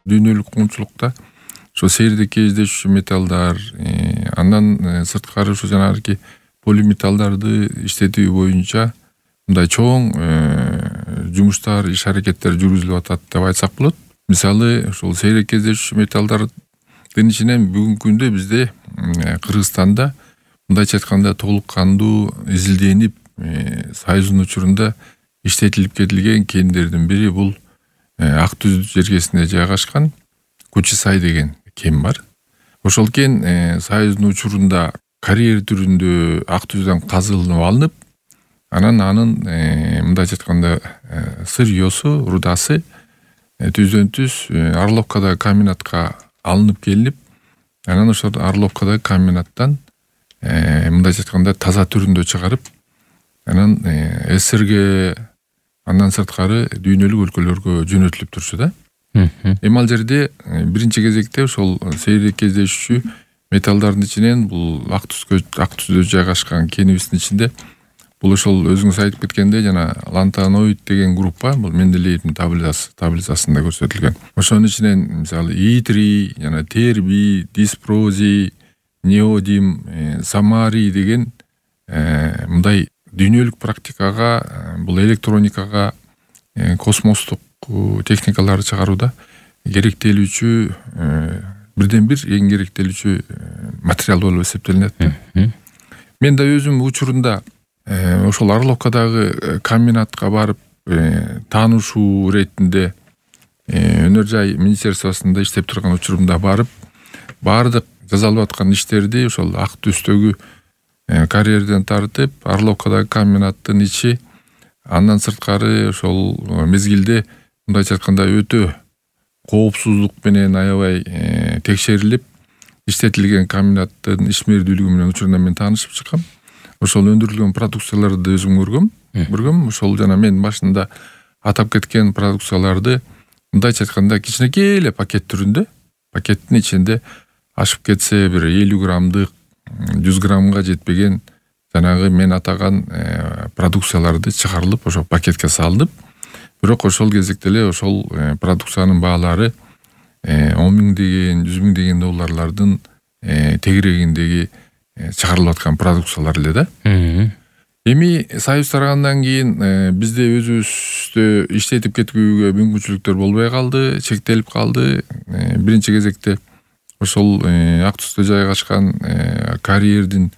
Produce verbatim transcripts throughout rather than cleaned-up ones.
дүйнөлүк коомчулукта ошо сейрде кездешүүчү металлдар, андан сырткары ошо жанагы полиметаллдарды иштетүү боюнча мындай чоң жумуштар, иш аракеттер жүргүзүлүп атат деп айтсак болот. Мисалы, ошол сейрек кездешүүчү металлдардын ичинен бүгүнкү күндө бизде Кыргызстанда мындайча айтканда толук кандуу изилденип, Союздун учурунда иштетилип кетилген кендердин бири бул Ак Түз жергесинде жайгашкан Кучисай деген кен бар. Ошол кен Союздун учурунда карьер түрүндө Ак Түздөн казылынып алынып, анан анын мындайча айтканда сырьёсу, рудасы түздөн түз Орловкадагы комбинатка алынып келинип, анан ошол Орловкадагы комбинаттан мындайча айтканда таза түрүндө чыгарып, анан СССРге, андан сырткары дүйнөлүк өлкөлөргө жөнөтүлүп турчу да. Эми ал жерде биринчи кезекте ошол сейрек кездешүүчү металлдардын ичинен бул Ак Түзгө, Ак Түздө жайгашкан кенибиздин ичинде бул ошол өзүңүз айтып кеткендей жана лантаноид деген группа, бул Менделеевдин таблицасы, таблицасында көрсөтүлгөн. Ошонун ичинен мисалы итрий, жана тербий, диспрозий, неодим, самарий деген мындай дүйнөлүк практикага, бул электроникага, космостук техникаларды чыгарууда керектелүүчү бирден бир эң керектелүүчү материал болуп эсептелинет. Мен да өзүм учурунда ошол Орловкадагы комбинатка барып таанышуу иретинде Өнөр жай министерствосунда иштеп турган учурумда барып, баардык жасалып аткан иштерди ошол Ак Түздөгү карьерден тартып, Орловкадагы комбинаттын ичи, андан сырткары ошол мезгилде мындайча айтканда өтө коопсуздук менен аябай текшерилип иштетилген комбинаттын ишмердүүлүгү менен учурунда мен таанышып чыккам. Ошол өндүрүлгөн продукцияларды өзүм көргөм. Көргөм. Ошол жана мен башында атап кеткен продукцияларды мындайча айтканда кичинекей эле пакет түрүндө, пакеттин ичинде ашып кетсе бир элүү граммдык, жүз граммга жетпеген жанагы мен атаган продукцияларды чыгарылып, ошол пакетке салынып, бирок ошол кезекте эле ошол продукциянын баалары он миң деген, жүз миң деген долларлардын тегерегиндеги чыгарылып аткан продукциялар эле да. Эми Союз тарагандан кийин бизде өзүбүздө иштетип кетүүгө мүмкүнчүлүктөр болбой калды, чектелип калды. Биринчи кезекте ошол Ак Түздө жайгашкан карьердин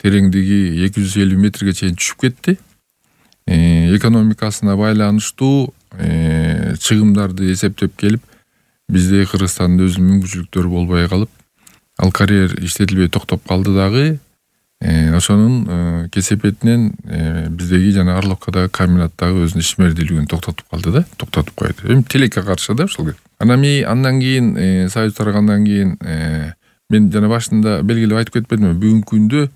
тереңдиги эки жүз элүү метрге чейин түшүп кетти. Экономикасына байланыштуу чыгымдарды эсептеп келип, бизде Кыргызстанда өзүнүн мүмкүнчүлүктөрү болбой калып, ал карьер иштетилбей токтоп калды дагы. Ошонун кесепетинен биздеги жана Орловкадагы комбинаттагы өзүнүн ишмердүүлүгүн токтотуп калды да, токтотуп койду. Эми тилекке каршы да ошол. Анан ми андан кийин Союз тарагандан кийин мен жана башында белгилеп айтып кетпедимби, бүгүнкү күндө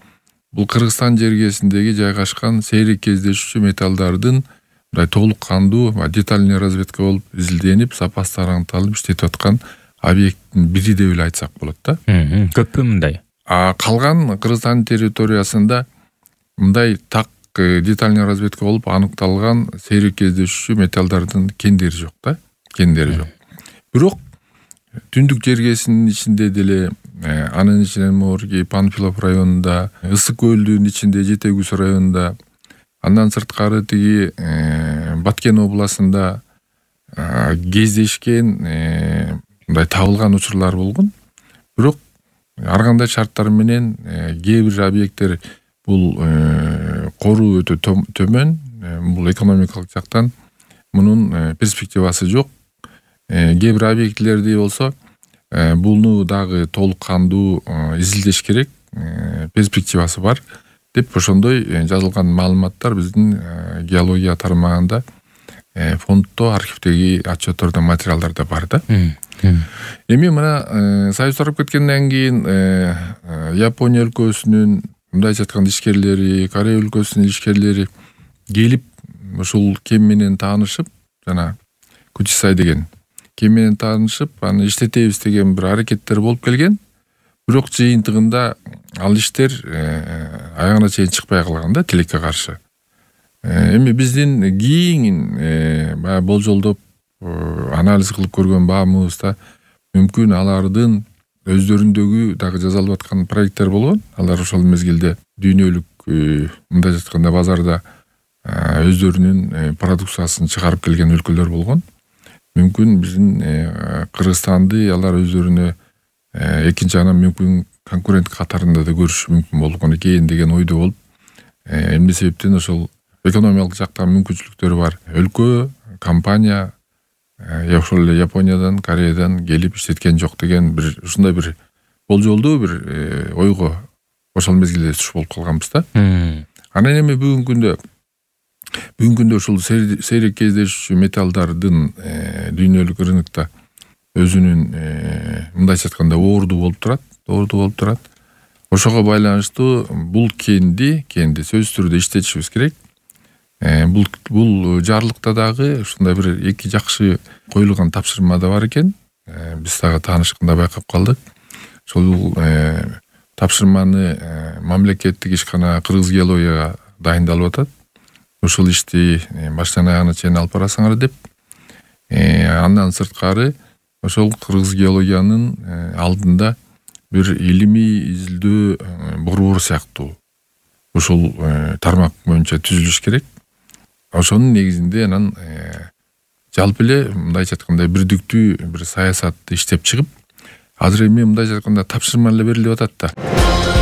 бул Кыргызстан жергесиндеги жайгашкан сейрек кездешүүчү металлдардын мындай толук кандуу детальный разведка болуп изилденип, сапасы таранталып иштетип аткан объекттин бири деп эле айтсак болот да. Көппү мындай? А калган Кыргызстан территориясында мындай так детальный разведка болуп аныкталган сейрек кездешүүчү металлдардын кендери жок да, кендери жок. Бирок түндүк жергесинин ичинде деле, анын ичинен Морги, Панфилов районунда, Ысык көлдүн ичинде Жетегүз районунда, андан сырткары тиги Баткен областында кездешкен мындай табылган учурлар болгон. Бирок ар кандай шарттар менен кээ бир объекттер бул коруу өтө төмөн, бул экономикалык жактан мунун перспективасы жок. Кээ бир объектилерди болсо буну дагы толук кандуу изилдеш керек, перспективасы бар деп ошондой жазылган маалыматтар биздин геология тармагында, фонддо, архивдеги отчеттордо, материалдарда бар да. Эми мына Союз тарап кеткенден кийин Япония өлкөсүнүн мындайча айтканда ишкерлери, Корея өлкөсүнүн ишкерлери келип ушул кен менен таанышып, жана Кучисай деген кен менен таанышып, аны иштетебиз деген бир аракеттер болуп келген. Бирок жыйынтыгында ал иштер аягына чейин чыкпай калган да, тилекке каршы. Эми биздин кийин баягы болжолдоп анализ кылып көргөн баамыбызда мүмкүн алардын өздөрүндөгү дагы жасалып аткан проекттер болгон. Алар ошол мезгилде дүйнөлүк мындай айтканда базарда өздөрүнүн продукциясын чыгарып келген өлкөлөр болгон. Мүмкүн биздин Кыргызстанды алар өздөрүнө экинчи анан мүмкүн конкурент катарында да көрүшү мүмкүн болгон экен деген ойдо болуп, эмне себептен ошол экономикалык жактан мүмкүнчүлүктөрү бар өлкө, компания ошол эле Япониядан, Кореядан келип иштеткен жок деген бир ушундай бир болжолдуу бир ойго ошол мезгилде туш болуп калганбыз да. Анан эми бүгүнкү күндө бүгүнкү күндө ушул сейрек кездешүүчү металлдардын дүйнөлүк рынокто өзүнүн мындайча айтканда орду болуп турат, орду болуп турат. Ошого байланыштуу бул кенди, кенди сөзсүз түрдө иштетишибиз керек. Бул бул жарлыкта дагы ушундай бир эки жакшы коюлган тапшырма да бар экен. Биз дагы таанышканда байкап калдык. Ошол тапшырманы мамлекеттик ишкана Кыргыз геологияга дайындалып атат. Ушул ишти баштан аягына чейин алып барасыңар деп. Андан сырткары ошол Кыргыз геологиянын алдында бир илимий изилдөө борбору сыяктуу ушул тармак боюнча түзүлүш керек. Ошонун негизинде анан жалпы эле мындайча айтканда бирдиктүү бир саясатты иштеп чыгып, азыр эми мындайча айтканда тапшырма эле берилип атат да.